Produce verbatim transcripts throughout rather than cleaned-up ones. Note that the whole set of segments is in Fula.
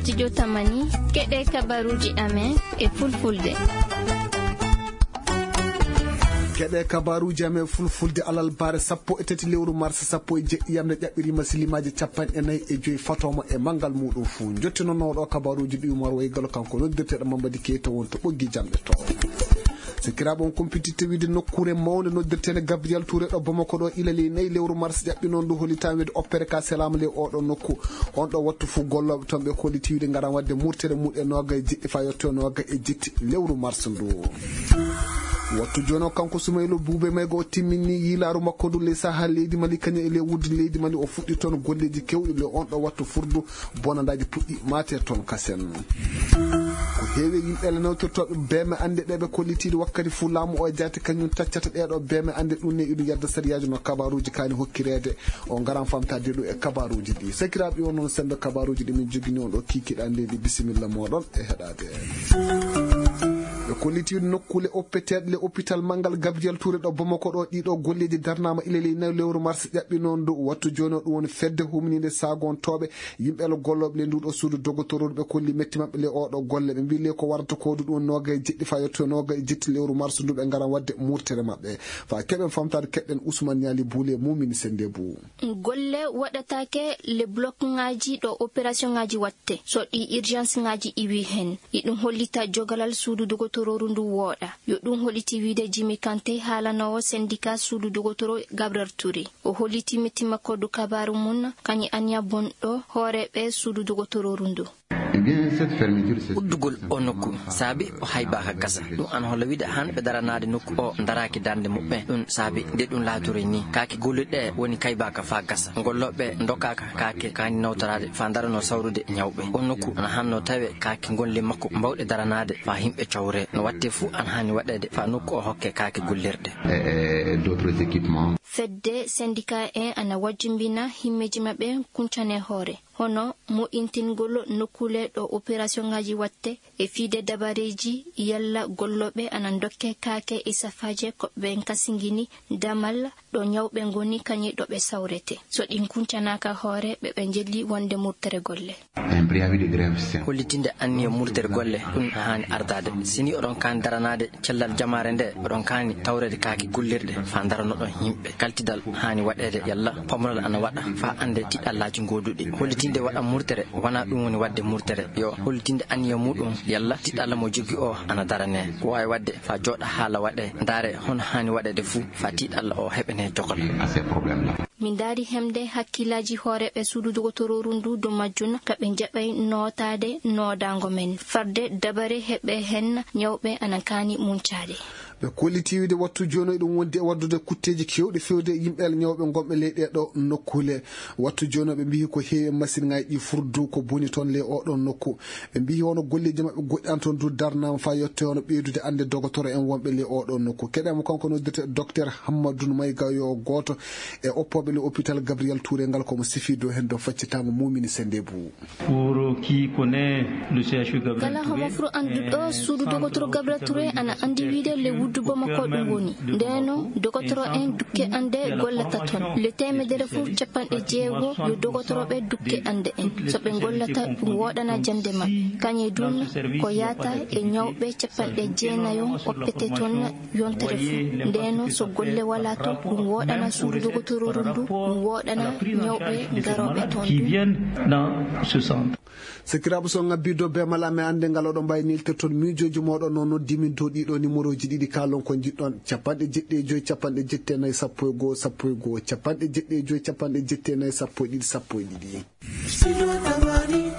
Studio Tamani, keɗe kabaruuji amen e fulfulde. Keɗe kabaruuji amen fulfulde alarba sappo e tati lewru mars sappo e jeɗɗi yamde ƴaɓɓiriima silimaaji capanɗe nayi e joyi fatooma e manngal muuɗum fuu. Njottinono ɗo kabaruuji ɗi Umar Waygalo kanko noddirteeɗo Mamadi Keita won to ɓoggi jamɗe to. Sikiraaɓe on kumpititte wiide nokkuure mawnde noddirteende Gabriel Touré ɗo Bamako ɗo ila ley nayi lewru mars ƴaɓɓi noon ndu hollitaa wiide opere ka selaama ley oɗo nokku. On ɗo wattu fuu gollooɓe toon ɓe kolliti wiide ngaran waɗde murtere muɗe noogay e jeɗɗi faa yotto noogay e jetti lewru mars ndu. Wattu jooni o kanko Sumaylu Buube Mayga o timmini yiilaaru makko ndu ley sahaa leydi Mali kañum e ley wuddu leydi Mali o fuɗɗi toon golleeji kewɗi ley on ɗo wattu furdu bonandaaji puɗɗi maate toon kasen. Ko heewi e yimɓe le nawtirtooɓe beeme annde ɗe ɓe kollitiiɗi wakkati fuu laamu o e jaati kañum taccata ɗeeɗo beeme annde ɗum ne iɗum yadda sariyaaji no kabaruuji kaani hokkireede o ngaran famtaade ɗum e kabaruuji ɗi. Sakiraaɓe on noon sembe kabaruuji ɗi min jogini on ɗo kiikiɗa leydi bisimilla mooɗon e heɗaade. Ɓe kolliti nokkule oppeteeɗe le hôpital manngal Gabriel Touré ɗo Bamako ɗo ɗiɗo golleeji darnaama ila ley nayi lewru mars ƴaɓɓi noon ndu wattu jooni o ɗum woni fedde humniinde saagontooɓe yimɓe le gollooɓe le nduɗo suudu dogotororu ɓe kolli metti maɓɓe le oɗo golle ɓe mbii le ko warata ko du ɗum noogay jeɗɗi faa yetto noogay jetti lewru mars ndu ɓe ngaran waɗde murtere maɓɓe faa keɓen famtaade keɗɗen Ousmane Niali Boule mumini sende bu. Golle waɗataake le bloc ŋaaji ɗo opération ŋaaji watte so ɗi urgence ŋaaji iwi heen. Iɗum hollita jogalal suudu dogotororu ndu wooɗa. Yo ɗum holliti wiide Jimi Kante haalanoowo syndicat suudu dogotoro Gabriel Touré. O holliti metti makko du kabaaru mum kañum aniya bonɗo hooreeɓe suudu dogotororu ndu. Uddugol o nokku saabi o haybaaka gasa. Ɗum an holla wiide han ɓe daranaade nokku o daraaki darnde muɓɓen. Ɗum saabi nde ɗum laatore ni kaake gollirɗe woni kaybaaka faa gasa. Gollooɓe ndokkaaka kaake kaani nawtoraade faa darano sawrude ñawɓe. O nokku ana hanno tawe kaake golle makko mbawɗe daranaade faa yimɓe cawre. No watte fuu ana haani waɗeede faa nokku o hokke kaake gollirɗe. Fedde syndicat en ana wajjumbina himmeeji maɓɓe kuncane hoore. Hono moƴƴintingol nokkuule ɗo opération ŋaaji watte e fiide dabareeji yalla gollooɓe ana ndokke kaake e safaaje ko ɓe kasingini damal ɗo ñawɓe ngoni kañum ɗo ɓe sawrete. So ɗin kuncanaaka hoore ɓe ɓe njelli wonde murtere golle. Hollitinde anniya murtere golle ɗum haani ardaade. Si ni oɗon kaani daranaade cellal jamaare nde oɗon kaani tawreede kaaki gullirɗe faa daranoɗon yimɓe. Kaltidal haani waɗeede yalla pamral ana waɗa faa annde tiɗallaaji gooduɗi. Hollitinde waɗa murtere wonaa ɗum woni waɗde murtere. Yo hollitinde anniya muɗum yalla tiɗalla mo jogii o ana daranee. Ko waawi waɗde faa jooɗa haala waɗee ndaare hono haani waɗeede fuu faa tiɗalla o heɓanee jogal. Min ndaari hemde hakkillaaji hooreeɓe suudu dogotororu ndu dow majjum ka ɓe njaɓay nootaade noodaango men. Fadde dabare heɓe heen ñawɓe ana kaani muncaade. Ɓe kolliti wiide wattu jooni eɗum wondi e waddude kutteeji keewɗi fewde e yimɓe ñawɓe ngonɓe ley ɗee ɗoo nokkuule. Wattu jooni ɓe mbiyi ko heewi e masiŋaaji ɗi furdu ko boni toon ley oo ɗoon nokku. Ɓe mbiyi hono golleeji maɓɓe goɗɗi an toon du darnaama faa yotte hono ɓeydude annde dogotoro en wonɓe ley oo ɗoon nokku. Keɗaama kanko noddirte Docteur Hammadou Mayga yo gooto e oppooɓe le hôpital Gabriel Touré ngal ko mo sifi dow heen dow faccitaango mumini sende bu. Kala homo furo annduɗo suudu dogotoro Gabriel Touré ana anndi wiide le wuddu Bamako ɗum woni. Ndeno dogotoro en dukke annde gollata toon. Le temedere fof capanɗe jeego yo dogotoroɓe dukke annde en. So ɓe gollata ɗum woɗana jannde maɓɓe. Kañe dun ko yaata e ñawɓe capanɗe jeenayo oppete toon yontere fof. Ndeno so golle wala toon ɗum woɗana suudu dogotororu ndu, ɗum woɗana ñawɓe garoɓe toon du. Sakiraaɓe so ngabbi dow beemal amen annde ngal oɗon mbawi neltirton miijooji mooɗon no noddi min dow ɗiɗo numéroji ɗiɗi kalon ko njiɗɗon capanɗe jeɗɗi e joyi capanɗe jetti e nayi sappo e goho sappo e goho capanɗe jeɗɗi e joyi capanɗe jetti e nayi sappo e ɗiɗi sappo e ɗiɗi.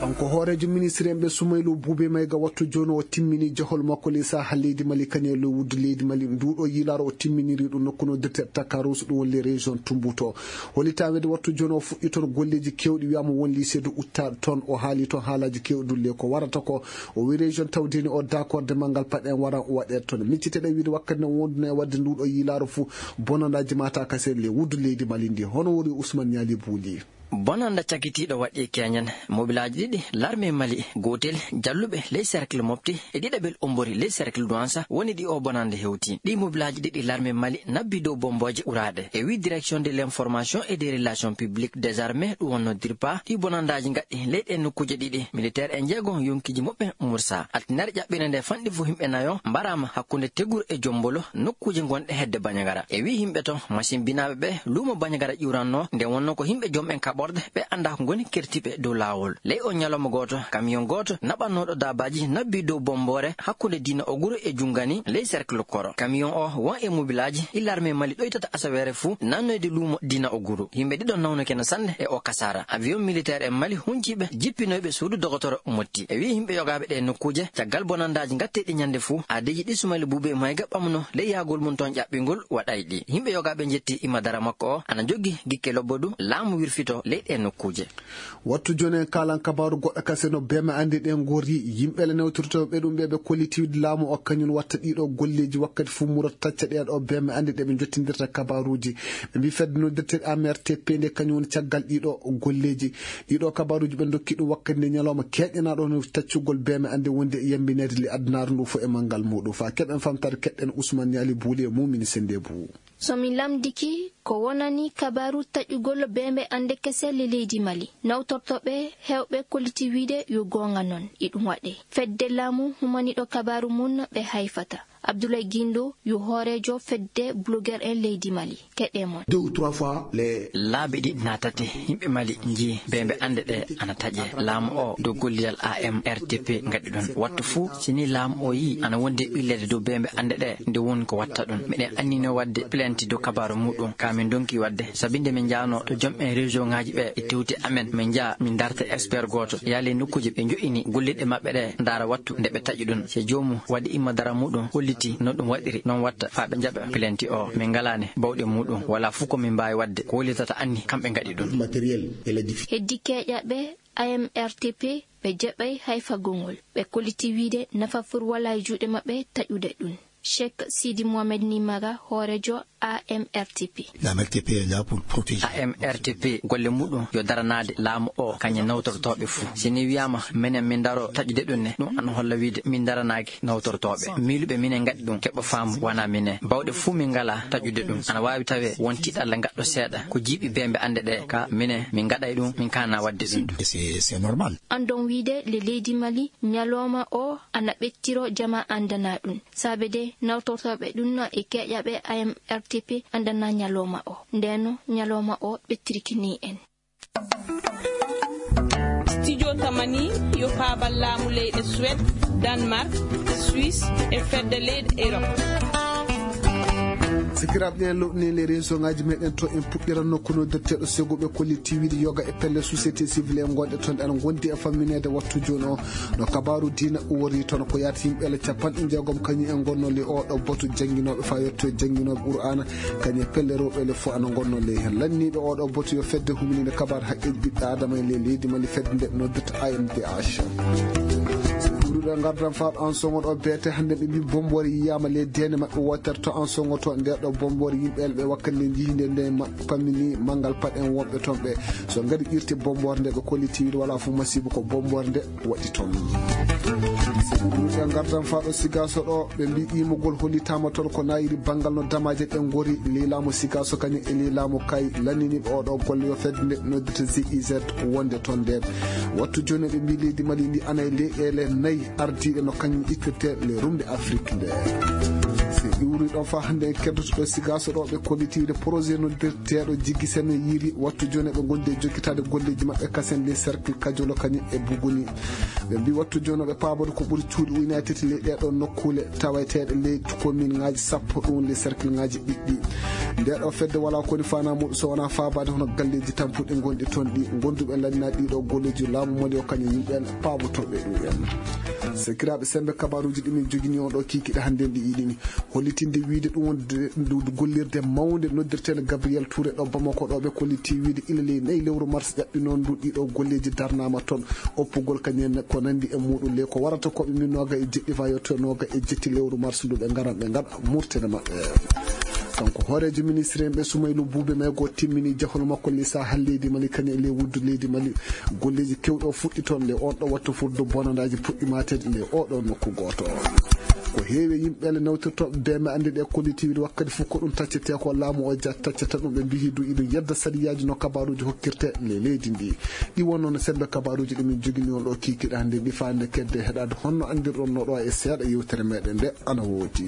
Kanko hooreejo ministre en ɓe Sumaylu Buube Mayga wattu jooni o timmini jahol makko ley saha leydi Mali kañum e ley wuddu leydi Mali nduɗo yiilaaro o timminiri ɗum nokku no dirteɗo Takarus ɗum woni ley région Tumbuto. Hollitaa wede wattu jooni o fuɗɗi toon golleeji keewɗi wiyaama won lycée de uttaɗo toon o haali toon haalaaji keewɗi dulle ko warata ko o wi région tawdeni o d'accord de manngal paɗen waran o waɗeede toon micciteɗen wiide wakkati no wonduno e waɗde nduɗo yiilaaro fuu bonandaaji mata kasen ley wuddu leydi Mali ndi hono woni Ousmane Niali Bouli. Bonannda cakitiiɗo waɗi e keñen. Mobilaaji ɗiɗi larme Mali, gootel jalluɓe ley cercle Mopti e ɗiɗaɓel Ombori ley cercle Douensa woni ɗi o bonannda hewti. Ɗi mobilaaji ɗiɗi larme Mali nabbi dow bombooje uraaɗe. E wi direction de l'information et des relations publiques des armées ɗum wonno DIRPA, ɗi bonanndaaji ngaɗɗi ley ɗe nokkuuje ɗiɗi. Militaire en jeego yonkiiji muɓɓen mursa. Altinaare ƴaɓɓiinde nde fanɗi fuu yimɓe nayo mbaraama hakkunde Tegur e Jombolo, nokkuuje gonɗe hedde Bandiagara. E wi yimɓe ton, machine binaaɓe ɓe luumo Bandiagara ƴuuranno, nde wonno ko yimɓe jom en kaɓorde ɓe anndaa ko ngoni kertiiɓe dow laawol. Ley o ñalawma gooto, camion gooto naɓannooɗo daabaaji nabbi dow bomboore hakkunde Diina Oguru e Jungani ley cercle Koro. Camion o won e mobilaaji ɗi larme Mali ɗoytata asaweere fuu nannoyde luumo Diina Oguru. Yimɓe ɗiɗo nawnuke no sanne e o kasaara. Avion militaire en Mali hunciiɓe jippinoyɓe suudu dogotoro Motti. E wi yimɓe yogaaɓe ɗe nokkuuje, caggal bonanndaaji ngatteeɗi ñande fuu, aadeeji ɗi Sumayla Buubee Mayga ɓamno ley yahgol mum ton ƴaɓɓingol waɗay ɗi. Yimɓe yogaaɓe njetti imadara makko o ana joggi gikke lobbo du laamu wirfito ley ɗe nokkuuje. Wattu jooni en kaalan kabaaru goɗɗo kasen no beeme annde ɗe ngori. Yimɓe le newtortooɓe ɗum ɓe ɓe kollitiiwde laamu o kañum watta ɗiɗo golleeji wakkati fuu murata tacca ɗe ɗo beeme annde ɗe ɓe njottindirta kabaaruuji. Ɓe mbi fedde noddirteeɗe A M R T P nde kañum woni caggal ɗiɗo golleeji. Ɗiɗo kabaaruuji ɓe ndokki ɗum wakkati nde ñalawma keeƴanaaɗo no taccugol beeme annde wonde e yambineede le adunaaru ndu fof e manngal muɗum. Faa keɓen famtaade keɗɗen Ousmane Yaali Buuli e Mumini Sennde Buu. So mi lamndike, ko wonani kabaaru taƴugol beembe annde kese le leydi Mali, nawtortooɓe heewɓe kolliti wiide yo goonga noon, iɗum waɗee. Fedde laamu humaniiɗo kabaaru mum ɓe hayfata. Abdoulaye Guindo yo hooreejo fedde blogueur en leydi Mali. Keɗe mon. Deux ou trois fois les Laabi ɗiɗi naa tati, yimɓe Mali njii beembe annde ɗe ana taƴe. Laamu o dow gollidal A M R T P ngaɗi ɗum. Wattu fuu, si ni laamu o yii ana wondi e ɓilleede dow beembe annde ɗe, nde woni ko watta ɗum. Miɗen annino waɗde plainte dow kabaaru muɗum. Ka min ndonki waɗde, sabi nde min njaano to jom en région ŋaaji ɓe e tewti amen, min njaa, min darta expert gooto, yaali nokkuuje ɓe njo'ini golliɗe maɓɓe ɗe, ndaara wattu nde ɓe taƴi ɗum. Si joomum waɗi imma dara muɗum, holliti no ɗum waɗiri, noon watta faa ɓe njaɓa plainte o. Min ngalaani bawɗe muɗum, wala fuu ko min mbaawi waɗde, ko hollitata anni kamɓe ngaɗi ɗum. Matériel et les diffi- Heddi keeƴaɓe A M R T P, ɓe jaɓay hay fagongol. Ɓe kolliti wiide nafa fur wala e juuɗe maɓɓe taƴude ɗum. Cheikh Sidi Mohamed Nimaga, hooreejo A M R T P. La M R T P est là pour protéger. A M R T P golle muɗum yo daranaade laamu o, kañum nawtortooɓe fuu. Si ni wiyaama minen min ndaro taƴude ɗum ne, ɗum ana holla wiide min ndaranaaki nawtortooɓe. Miiluɓe minen ngaɗi ɗum, keɓa faamu wona minen. Bawɗe fuu min ngalaa taƴude ɗum. Ana waawi tawee won tiiɗalla ngaɗɗo seeɗa ko jiiɓi beembe annde ɗe, ka minen min ngaɗay ɗum, min kaana waɗde ɗum. Et c'est, c'est normal. Anndon wiide le leydi Mali, ñalawma o ana ɓettiro, jama anndana ɗum. Saabe de nawtortooɓe ɗum e keeƴaɓe A M R T P anndana ñalawma o. Ndeno ñalawma o ɓettiriki ni en. Studio Tamani yo paabal laamu leyɗe Suède, Danemark, Suisse e fedde leyɗe Europe. Sikiraaɓe, ɗen lowɗini les réseau ngaji meɗen to en puɗɗiran nokku noddirteeɗo sego ɓe kolliti wiide yoga e pelle société civile en gonɗe toon ɗe ana gondi e fammineede wattu jooni o. No kabaaru diina wori toon ko yaata yimɓe le capanɗe jeegom kañum en gonno le oɗo boto jannginooɓe faa yetto e jannginooɓe Qur'aana, kañum e pelle rewɓe le fof ana gonno le heen. Lanniiɓe oɗo boto yo fedde humninde kabaar haqqeeji ɓiɓɓe Aadama e ley leydi Mali fedde nde noddirta A M D H. Ɓurɗo ngardan faa ɗo an songo ɗo beete hannde ɓe mbi bomboore yiyaama le deene maɓɓe wootere to an songo to nde ɗo bomboore yimɓe le ɓe wakkati nde njihinde nde maɓɓe pammini manngal paɗen wonɓe toon ɓe. So ngari ƴirti bomboore nde ɓe kolliti wiide wala fof masiiba ko bomboore nde waɗi toon. Ɓe ngartan faa ɗo Sigaaso ɗo, ɓe mbi ƴiimugol hollitaama toon ko nayiri banngal no damaaje ɗe ngori ley laamu Sigaaso kañum e ley laamu Kay lanniniiɓe oɗo golle yo fedde nde noddirta G I Z wonde toon nde. Wattu jooni ɓe mbi leydi Mali ndi ana e leyɗeele nayi ardiiɗe no kañum ittirte le rumde Afrik nde. Se iwri ɗon faa hannde en keddoto ɗo Sigaaso ɗo ɓe kollitiiɗe projet noddirteeɗo Jiggi Sene Yiiri wattu jooni ɓe ngondi e jokkitaade golleeji maɓɓe kasen ley cercle Kajolo kañum e Buguni. Ɓe mbi wattu jooni ɓe paabode ko ɓuri cuuɗi ujunaaji tati ley ɗee ɗoo nokkuule taweteeɗe ley commune ŋaaji sappo ɗum ley cercle ŋaaji ɗiɗɗi. Ndee ɗoo fedde walaa ko woni faanaa muuɗum so wonaa faabaade hono galleeji tampuɗi ngonɗi toon ɗi, gonduɓe lanndinaa ɗii ɗoo golleeji laamu Mali o kañum yimɓe en paabotooɓe ɗum en. Sakiraaɓe semmbe, kabaaruuji ɗi min njogini on ɗoo kiikiiɗe hannde en ɗi iɗini. Hollitinde wiyde ɗum wonde ndu gollirde mawnde noddirteende Gabriel Touré ɗo Bamako ɗo ɓe kolliti wiyde ila ley nayi lewru mars ƴaɓɓinoon ndu ɗiɗo golleeji darnaama toon. Oppugol kañum en ko nanndi e muuɗum ley ko warata ko ɓe min nooga e jeɗɗi faa yetto nooga e jetti lewru mars ndu ɓe ngaran ɓe ngaɗa murtene maɓɓe. Kanko hooreejo ministre en ɓe, Sumaylu Buube Meego, timmini jahol makko ley saaha leydi Mali, kañum e ley wuddu leydi Mali. Golleeji kewɗi o fuɗɗi toon ley on ɗo wattu fuddu bonandaaji puɗɗi maateede ley oo ɗoo nokku gooto. Ko heewi e yimɓe le nawtirtooɓe bee maande ɗe kollitiiwri wakkati fof ko ɗum taccetee ko laamu o ja-, taccata ɗum, ɓe mbiyi du iɗum yedda sariyaaji no kabaaruuji hokkirte ley leydi ndi. Ɗi wonno no sembe kabaaruuji ɗi min jogini on ɗo kiikiɗe hannde, ɗi faande kedde heɗaade honno anndirɗon no ɗo e seeɗa yewtere meɗen nde ana woodi.